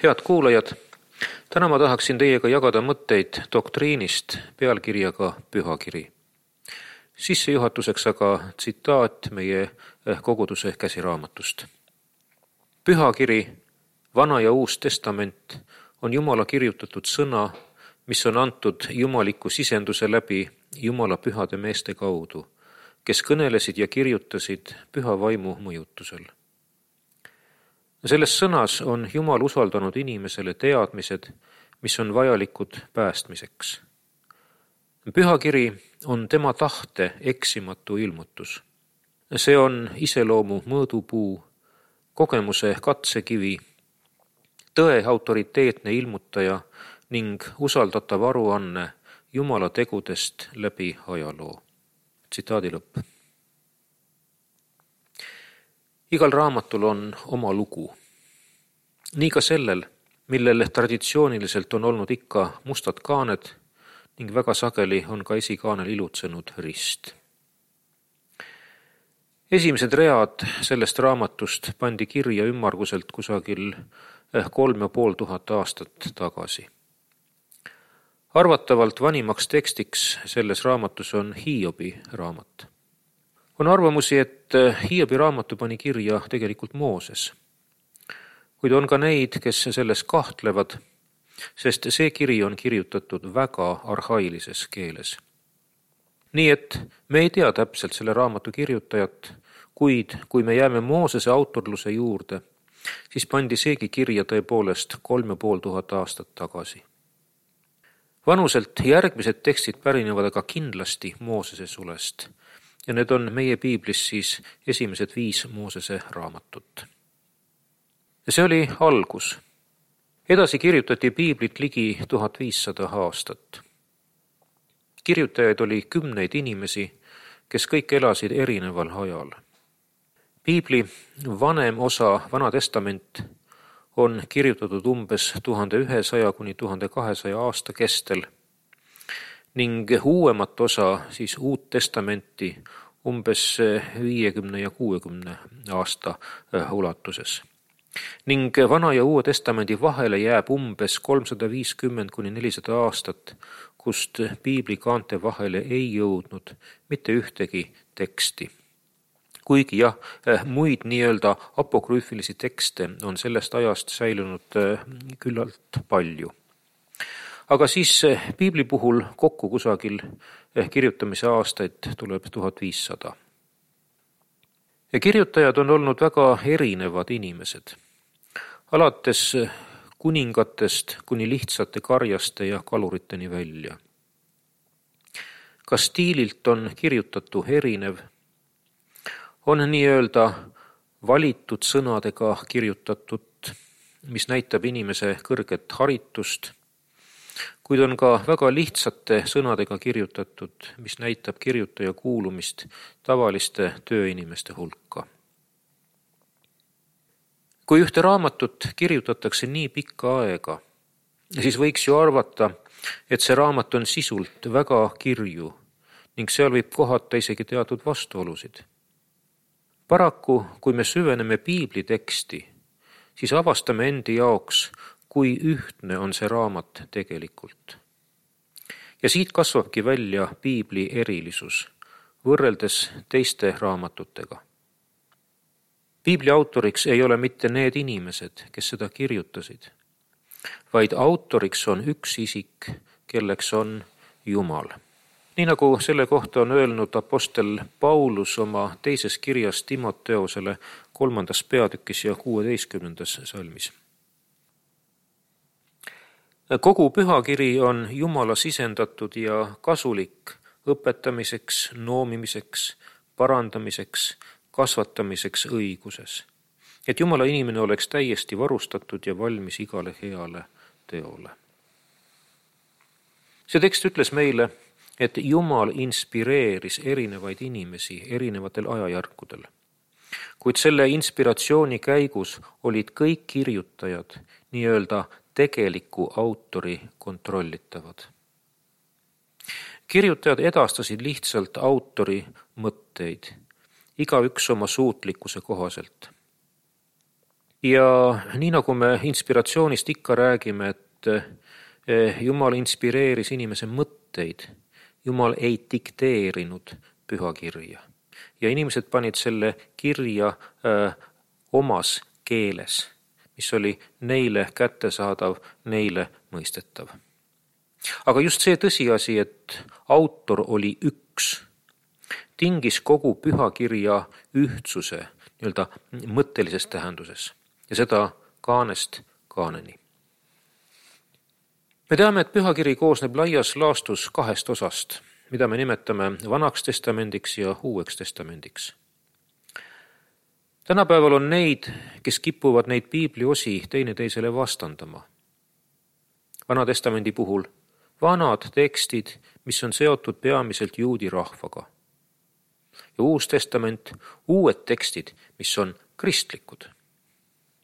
Head kuulajad, täna ma tahaksin teiega jagada mõtteid doktriinist pealkirjaga Pühakiri. Sissejuhatuseks aga tsitaat meie koguduse käsiraamatust. Pühakiri, Vana ja Uus Testament on Jumala kirjutatud sõna, mis on antud jumaliku sisenduse läbi Jumala pühade meeste kaudu, kes kõnelesid ja kirjutasid püha vaimu mõjutusel. Selles sõnas on Jumal usaldanud inimesele teadmised, mis on vajalikud päästmiseks. Pühakiri on tema tahte eksimatu ilmutus. See on iseloomu mõõdupuu, kogemuse katsekivi, tõe autoriteetne ilmutaja ning usaldatav aruanne Jumala tegudest läbi ajaloo. Tsitaadi lõpp. Igal raamatul on oma lugu. Nii ka sellel, millel traditsiooniliselt on olnud ikka mustad kaaned ning väga sageli on ka esikaanel ilutsenud rist. Esimesed read sellest raamatust pandi kirja ümmarguselt kusagil 3500 aastat tagasi. Arvatavalt vanimaks tekstiks selles raamatus on Hiobi raamat. On arvamusi, et Hiobi raamatu pani kirja tegelikult Mooses. Kuid on ka neid, kes selles kahtlevad, sest see kiri on kirjutatud väga arhailises keeles. Nii et me ei tea täpselt selle raamatu kirjutajat, kuid kui me jääme Moosese autorluse juurde, siis pandi seegi kirja tõepoolest 3500 aastat tagasi. Vanuselt järgmised tekstid pärinevad aga kindlasti Moosese sulest ja need on meie piiblis siis esimesed 5 Moosese raamatut. Ja see oli algus. Edasi kirjutati piiblit ligi 1500 aastat. Kirjutajaid oli 10 inimesi, kes kõik elasid erineval ajal. Piibli vanem osa, Vana Testament, on kirjutatud umbes 1100 kuni 1200 aasta kestel ning uuemat osa, siis Uut Testamenti, umbes 50 ja 60 aasta ulatuses. Ning Vana ja Uue Testamendi vahele jääb umbes 350 kuni 400 aastat, kust piibli kaante vahele ei jõudnud mitte ühtegi teksti. Kuigi jah, muid nii-öelda apokrüüfilisi tekste on sellest ajast säilunud küllalt palju. Aga siis piibli puhul kokku kusagil kirjutamise aastaid tuleb 1500. Ja kirjutajad on olnud väga erinevad inimesed, alates kuningatest kuni lihtsate karjaste ja kaluriteni välja. Ka stiililt on kirjutatu erinev, on nii-öelda valitud sõnadega kirjutatud, mis näitab inimese kõrget haritust, kuid on ka väga lihtsate sõnadega kirjutatud, mis näitab kirjutaja kuulumist tavaliste tööinimeste hulka. Kui ühte raamatut kirjutatakse nii pikka aega, siis võiks ju arvata, et see raamat on sisult väga kirju ning seal võib kohata isegi teatud vastuolusid. Paraku, kui me süveneme piibli teksti, siis avastame endi jaoks, kui ühtne on see raamat tegelikult. Ja siit kasvabki välja piibli erilisus, võrreldes teiste raamatutega. Piibli autoriks ei ole mitte need inimesed, kes seda kirjutasid, vaid autoriks on üks isik, kelleks on Jumal. Nii nagu selle kohta on öelnud apostel Paulus oma teises kirjas Timoteosele 3. peatükis ja 16. salmis. Kogu pühakiri on Jumala sisendatud ja kasulik õpetamiseks, noomimiseks, parandamiseks, kasvatamiseks õiguses, et Jumala inimene oleks täiesti varustatud ja valmis igale heale teole. See tekst ütles meile, et Jumal inspireeris erinevaid inimesi erinevatel ajajärkudel. Kuid selle inspiratsiooni käigus olid kõik kirjutajad nii-öelda tegeliku autori kontrollitavad. Kirjutajad edastasid lihtsalt autori mõtteid, igaüks oma suutlikkuse kohaselt. Ja nii nagu me inspiratsioonist ikka räägime, et Jumal inspireeris inimese mõtteid, Jumal ei dikteerinud pühakirja. Ja inimesed panid selle kirja omas keeles, mis oli neile kättesaadav, neile mõistetav. Aga just see tõsiasi, et autor oli üks, tingis kogu pühakirja ühtsuse nii-öelda mõttelises tähenduses ja seda kaanest kaaneni. Me teame, et pühakiri koosneb laias laastus 2 osast, mida me nimetame Vanaks testamendiks ja Uueks testamendiks. Tänapäeval on neid, kes kipuvad neid piibli osi teineteisele vastandama. Vana testamendi puhul vanad tekstid, mis on seotud peamiselt juudi rahvaga. Ja Uus testament, uued tekstid, mis on kristlikud.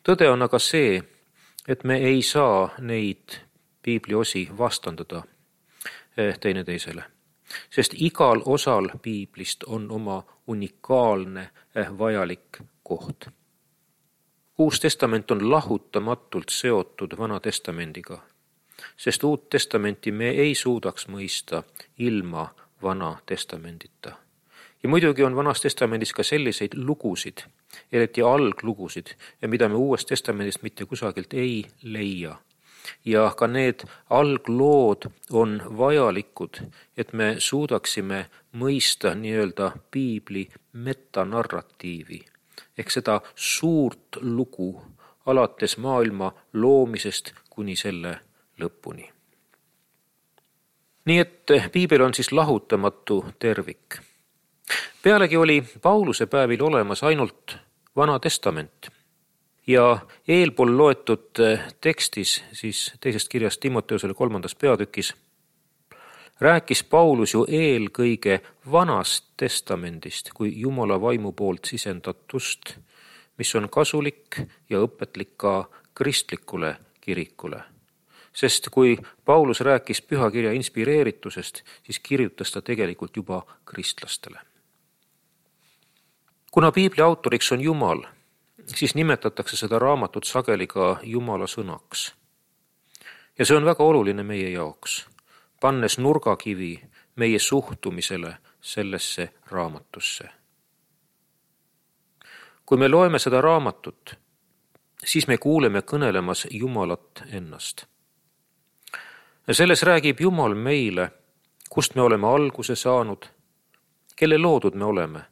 Tõde on aga see, et me ei saa neid piibli osi vastandada teineteisele, sest igal osal piiblist on oma unikaalne vajalik koht. Uus testament on lahutamatult seotud Vana testamendiga, sest Uut testamenti me ei suudaks mõista ilma Vana testamendita. Ja muidugi on Vanas testamendis ka selliseid lugusid, eriti alglugusid, mida me Uuest testamendist mitte kusagilt ei leia. Ja ka need alglood on vajalikud, et me suudaksime mõista nii-öelda piibli metanarratiivi, ehk seda suurt lugu alates maailma loomisest kuni selle lõpuni. Nii et piibel on siis lahutamatu tervik. Pealegi oli Pauluse päevil olemas ainult Vana testament ja eelpool loetud tekstis, siis teisest kirjast Timoteusele 3. peatükis, rääkis Paulus ju eelkõige Vanast testamendist kui Jumala vaimu poolt sisendatust, mis on kasulik ja õpetlik ka kristlikule kirikule. Sest kui Paulus rääkis pühakirja inspireeritusest, siis kirjutas ta tegelikult juba kristlastele. Kuna piibli autoriks on Jumal, siis nimetatakse seda raamatut sageli ka Jumala sõnaks. Ja see on väga oluline meie jaoks, pannes nurgakivi meie suhtumisele sellesse raamatusse. Kui me loeme seda raamatut, siis me kuuleme kõnelemas Jumalat ennast. Ja selles räägib Jumal meile, kust me oleme alguse saanud, kelle loodud me oleme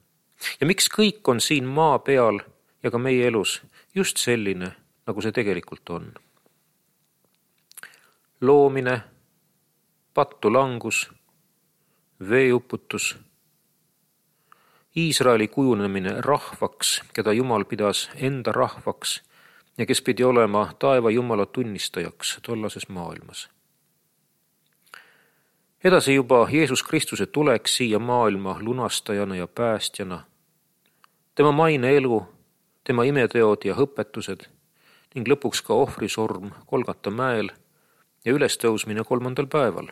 ja miks kõik on siin maa peal ja ka meie elus just selline, nagu see tegelikult on. Loomine, pattu langus, veeuputus, Iisraeli kujunemine rahvaks, keda Jumal pidas enda rahvaks ja kes pidi olema taeva Jumala tunnistajaks tollases maailmas. Edasi juba Jeesus Kristuse tulek siia maailma lunastajana ja päästjana, tema maine elu, tema imeteod ja õpetused ning lõpuks ka ohvrisorm Golgata mäel ja ülestõusmine 3. päeval.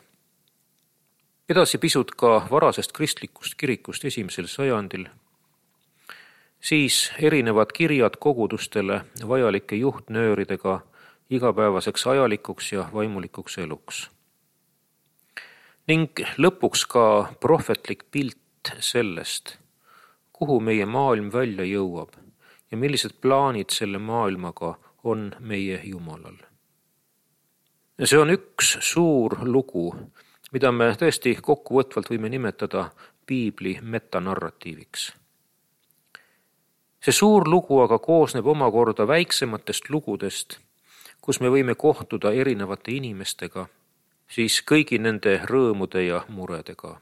Edasi pisut ka varasest kristlikust kirikust 1. sajandil, siis erinevad kirjad kogudustele vajalike juhtnööridega igapäevaseks ajalikuks ja vaimulikuks eluks. Ning lõpuks ka prohvetlik pilt sellest, kuhu meie maailm välja jõuab ja millised plaanid selle maailmaga on meie Jumalal. Ja see on üks suur lugu, mida me tõesti kokkuvõtvalt võime nimetada piibli metanarratiiviks. See suur lugu aga koosneb omakorda väiksematest lugudest, kus me võime kohtuda erinevate inimestega, siis kõigi nende rõõmude ja muredega.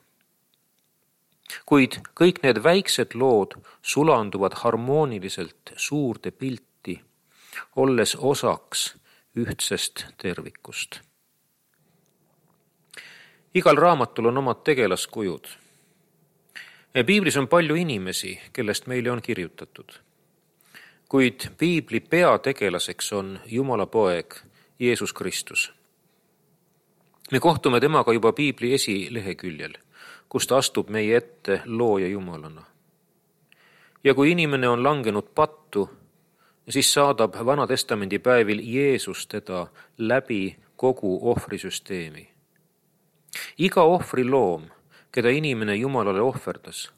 Kuid kõik need väiksed lood sulanduvad harmooniliselt suurde pilti, olles osaks ühtsest tervikust. Igal raamatul on omad tegelaskujud. Piiblis on palju inimesi, kellest meile on kirjutatud. Kuid piibli peategelaseks on Jumala poeg Jeesus Kristus. Me kohtume temaga juba piibli esileheküljel, kus ta astub meie ette looja Jumalana. Ja kui inimene on langenud pattu, siis saadab Vana Testamendi päevil Jeesus teda läbi kogu ohvrisüsteemi. Iga ohvriloom, keda inimene Jumalale ohverdas,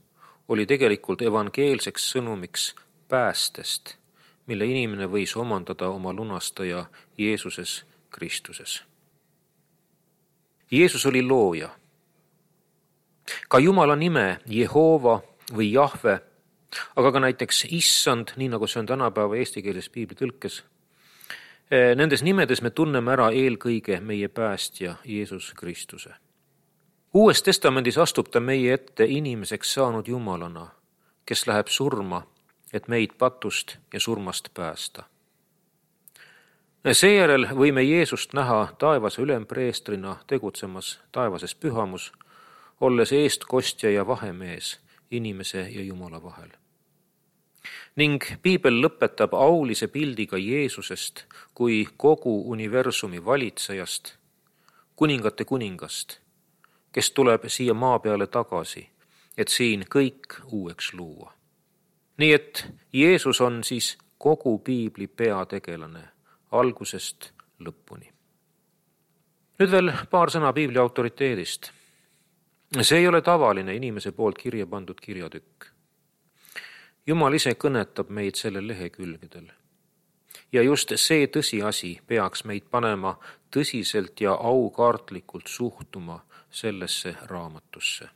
oli tegelikult evangeelseks sõnumiks päästest, mille inimene võis omandada oma lunastaja Jeesuses Kristuses. Jeesus oli looja. Ka Jumala nime Jehova või Jahve, aga ka näiteks Issand, nii nagu see on tänapäeva eestikeelses piiblitõlkes. Nendes nimedes me tunneme ära eelkõige meie päästja Jeesus Kristuse. Uues testamendis astub ta meie ette inimeseks saanud Jumalana, kes läheb surma, et meid patust ja surmast päästa. Seejärel võime Jeesust näha taevase ülempreestrina tegutsemas taevases pühamus, olles eestkostja ja vahemees inimese ja Jumala vahel. Ning piibel lõpetab aulise pildiga Jeesusest kui kogu universumi valitsejast, kuningate kuningast, kes tuleb siia maa peale tagasi, et siin kõik uueks luua. Nii et Jeesus on siis kogu piibli peategelane algusest lõpuni. Nüüd veel paar sõna piibli autoriteedist. See ei ole tavaline inimese poolt kirja pandud kirjatükk. Jumal ise kõnetab meid sellel lehekülgedel. Ja just see tõsiasi peaks meid panema tõsiselt ja aukartlikult suhtuma sellesse raamatusse.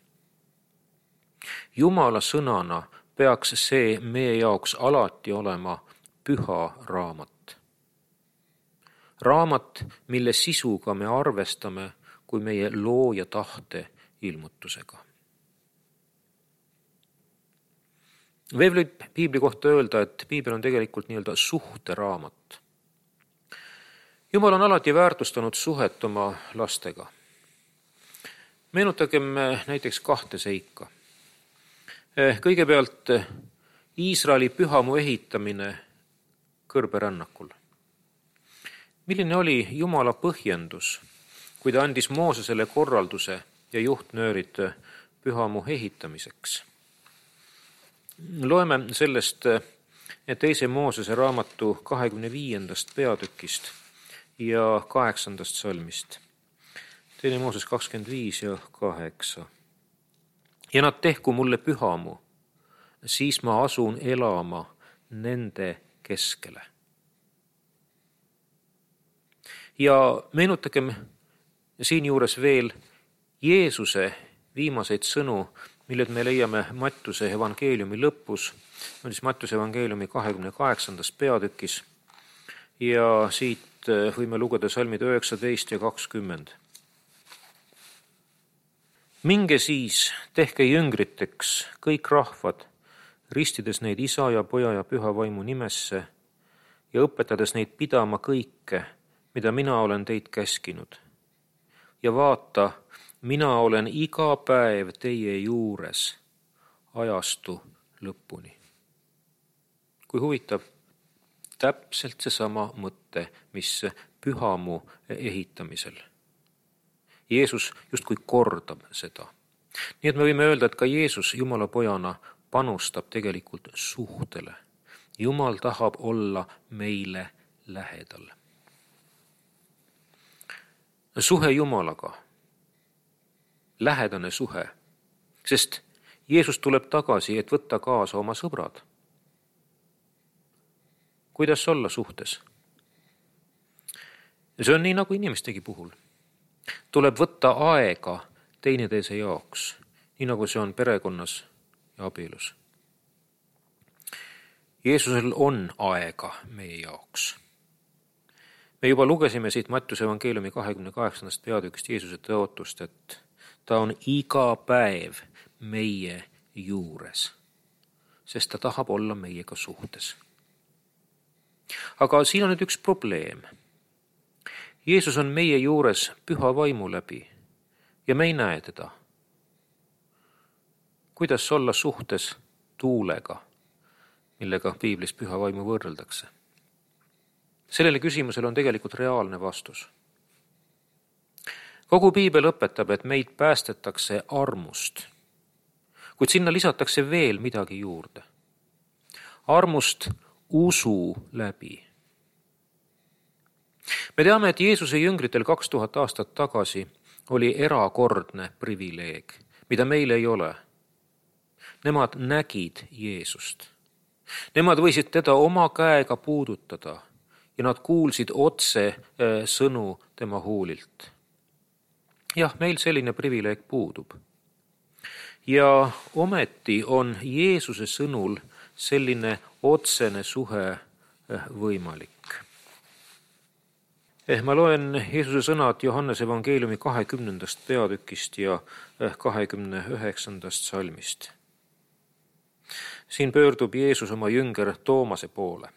Jumala sõnana peaks see meie jaoks alati olema püha raamat. Raamat, mille sisuga me arvestame kui meie looja tahte ilmutusega. Veel võib piibli kohta öelda, et piibel on tegelikult nii-öelda suhteraamat. Jumal on alati väärtustanud suhet oma lastega. Meenutagem näiteks 2 seika. Kõigepealt Iisraeli pühamu ehitamine kõrberännakul. Milline oli Jumala põhjendus, kui ta andis Moosesele korralduse ja juhtnöörid pühamu ehitamiseks? Loeme sellest 2. Moosese raamatu 25. peatükist ja 8. salmist. 2. Mooses 25 ja 8. Ja nad tehku mulle pühamu, siis ma asun elama nende keskele. Ja meenutagem siinjuures veel Jeesuse viimaseid sõnu, milled me leiame Mattuse evangeeliumi lõpus, on siis Mattuse evangeeliumi 28. peatükis ja siit võime lugeda salmid 19 ja 20. Minge siis, tehke jüngriteks kõik rahvad, ristides neid Isa ja Poja ja Püha Vaimu nimesse ja õpetades neid pidama kõike, mida mina olen teid käskinud. Ja vaata, mina olen iga päev teie juures ajastu lõpuni. Kui huvitav, täpselt seesama mõte, mis pühamu ehitamisel. Jeesus justkui kordab seda. Nii et me võime öelda, et ka Jeesus Jumala pojana panustab tegelikult suhtele. Jumal tahab olla meile lähedal. Suhe Jumalaga. Lähedane suhe, sest Jeesus tuleb tagasi, et võtta kaasa oma sõbrad. Kuidas olla suhtes? See on nii nagu inimestegi puhul. Tuleb võtta aega teineteise jaoks, nii nagu see on perekonnas ja abielus. Jeesusel on aega meie jaoks. Me juba lugesime siit Mattuse evangeeliumi 28. peatükist Jeesuse tõotust, et ta on iga päev meie juures, sest ta tahab olla meiega suhtes. Aga siin on nüüd üks probleem. Jeesus on meie juures Püha Vaimu läbi ja me ei näe teda. Kuidas olla suhtes tuulega, millega piiblis Püha Vaimu võrreldakse? Sellele küsimusele on tegelikult reaalne vastus. Kogu piibel õpetab, et meid päästetakse armust, kuid sinna lisatakse veel midagi juurde. Armust usu läbi. Me teame, et Jeesuse jüngritel 2000 aastat tagasi oli erakordne privileeg, mida meil ei ole. Nemad nägid Jeesust. Nemad võisid teda oma käega puudutada ja nad kuulsid otse sõnu tema huulilt. Jah, meil selline privileeg puudub. Ja ometi on Jeesuse sõnul selline otsene suhe võimalik. Ma loen Jeesuse sõnad Johannese evangeeliumi 20. peatükist ja 29. salmist. Siin pöördub Jeesus oma jünger Toomase poole.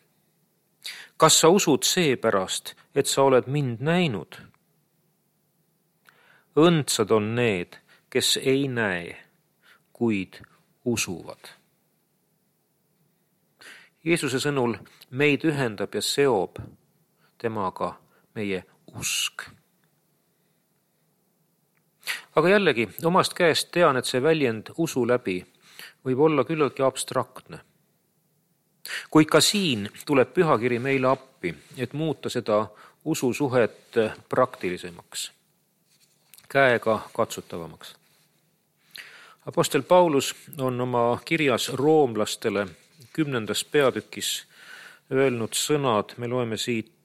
Kas sa usud seepärast, et sa oled mind näinud? Õndsad on need, kes ei näe, kuid usuvad. Jeesuse sõnul meid ühendab ja seob temaga meie usk. Aga jällegi, omast käest tean, et see väljend usu läbi võib olla küllaltki abstraktne. Kuid ka siin tuleb pühakiri meile appi, et muuta seda ususuhet praktilisemaks, käega katsutavamaks. Apostel Paulus on oma kirjas roomlastele 10. peatükis öelnud sõnad, me loeme siit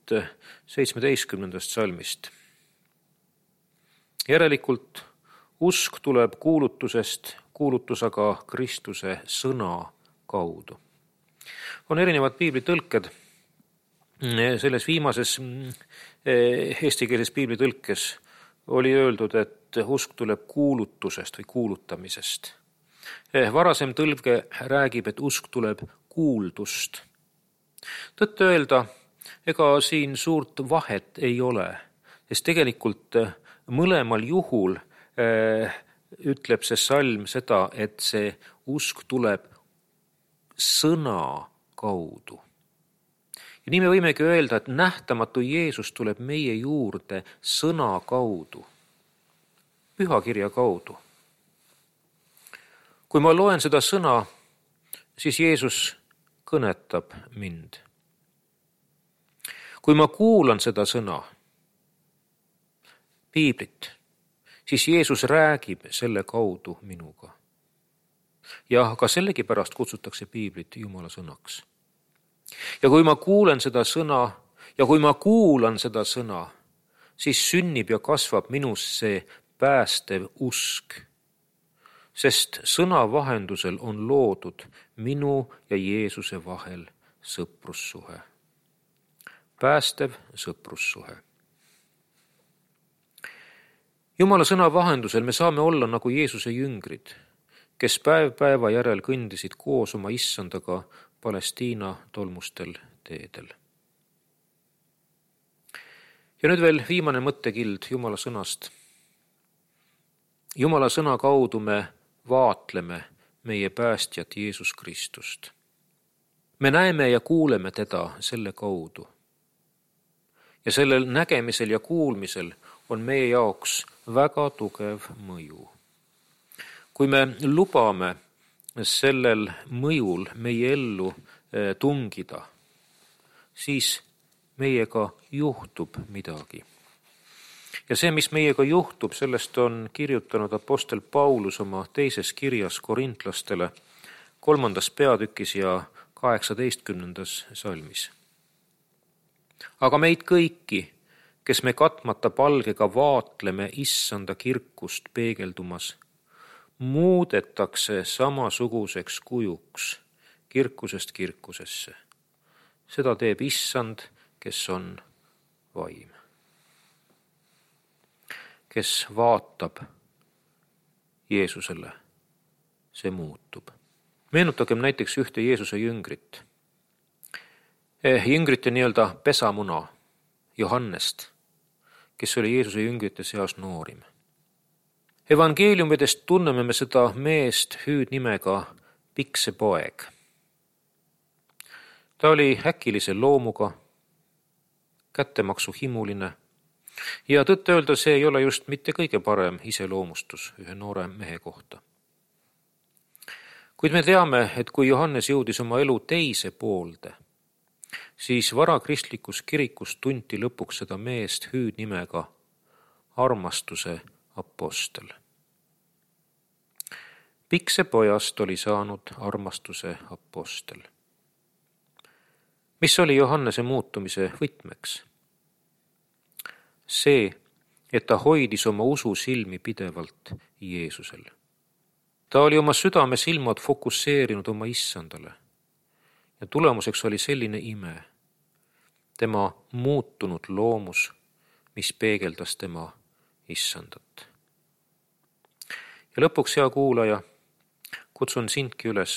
17. salmist. Järelikult usk tuleb kuulutusest, kuulutus aga Kristuse sõna kaudu. On erinevad piiblitõlked. Selles viimases eestikeelses piiblitõlkes oli öeldud, et usk tuleb kuulutusest või kuulutamisest. Varasem tõlge räägib, et usk tuleb kuuldust. Tõtt öelda, ega siin suurt vahet ei ole, sest tegelikult mõlemal juhul ütleb see salm seda, et see usk tuleb sõna kaudu. Ja nii me võimegi öelda, et nähtamatu Jeesus tuleb meie juurde sõna kaudu, pühakirja kaudu. Kui ma loen seda sõna, siis Jeesus kõnetab mind. Kui ma kuulan seda sõna, piiblit, siis Jeesus räägib selle kaudu minuga. Ja ka sellegipärast kutsutakse piiblit Jumala sõnaks. Ja kui ma kuulen seda sõna, siis sünnib ja kasvab minus see päästev usk, sest sõna vahendusel on loodud minu ja Jeesuse vahel sõprussuhe. Päästev sõprussuhe. Jumala sõna vahendusel me saame olla nagu Jeesuse jüngrid, kes päev päeva järel kõndisid koos oma issandaga Palestiina tolmustel teedel. Ja nüüd veel viimane mõttekild Jumala sõnast. Jumala sõna kaudu me vaatleme meie päästjat Jeesus Kristust. Me näeme ja kuuleme teda selle kaudu. Ja sellel nägemisel ja kuulmisel on meie jaoks väga tugev mõju. Kui me lubame sellel mõjul meie ellu tungida, siis meiega juhtub midagi. Ja see, mis meiega juhtub, sellest on kirjutanud apostel Paulus oma teises kirjas korintlastele 3. peatükis ja 18. salmis. Aga meid kõiki, kes me katmata palgega vaatleme issanda kirkust peegeldumas, muudetakse samasuguseks kujuks kirkusest kirkusesse. Seda teeb issand, kes on vaim. Kes vaatab Jeesusele, see muutub. Meenutagem näiteks ühte Jeesuse jüngrit. Jüngrite nii-öelda pesamuna Johannest, kes oli Jeesuse jüngrite seas noorim. Evangeeliumidest tunneme me seda meest hüüdnimega Pikse poeg. Ta oli äkilise loomuga, kättemaksu himuline ja tõtt öelda, see ei ole just mitte kõige parem iseloomustus ühe noore mehe kohta. Kuid me teame, et kui Johannes jõudis oma elu teise poolde, siis varakristlikus kirikus tunti lõpuks seda meest hüüdnimega armastuse apostel. Piksepojast oli saanud armastuse apostel. Mis oli Johannese muutumise võtmeks? See, et ta hoidis oma ususilmi pidevalt Jeesusel. Ta oli oma südame silmad fokusseerinud oma issandale ja tulemuseks oli selline ime, tema muutunud loomus, mis peegeldas tema issandat. Ja lõpuks, hea kuulaja, kutsun sindki üles,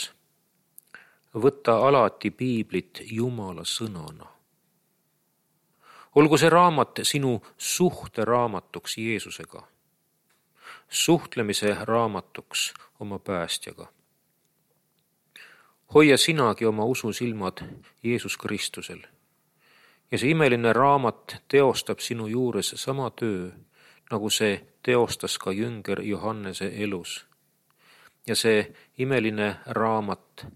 võtta alati piiblit Jumala sõnana. Olgu see raamat sinu suhteraamatuks Jeesusega, suhtlemise raamatuks oma päästjaga. Hoia sinagi oma ususilmad Jeesus Kristusel ja see imeline raamat teostab sinu juures sama töö, nagu see teostas ka jünger Johannese elus. Ja see imeline raamat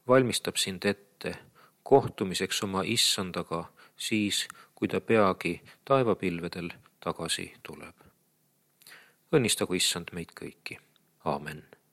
valmistab sind ette kohtumiseks oma issandaga siis, kui ta peagi taevapilvedel tagasi tuleb. Õnnistagu issand meid kõiki. Aamen.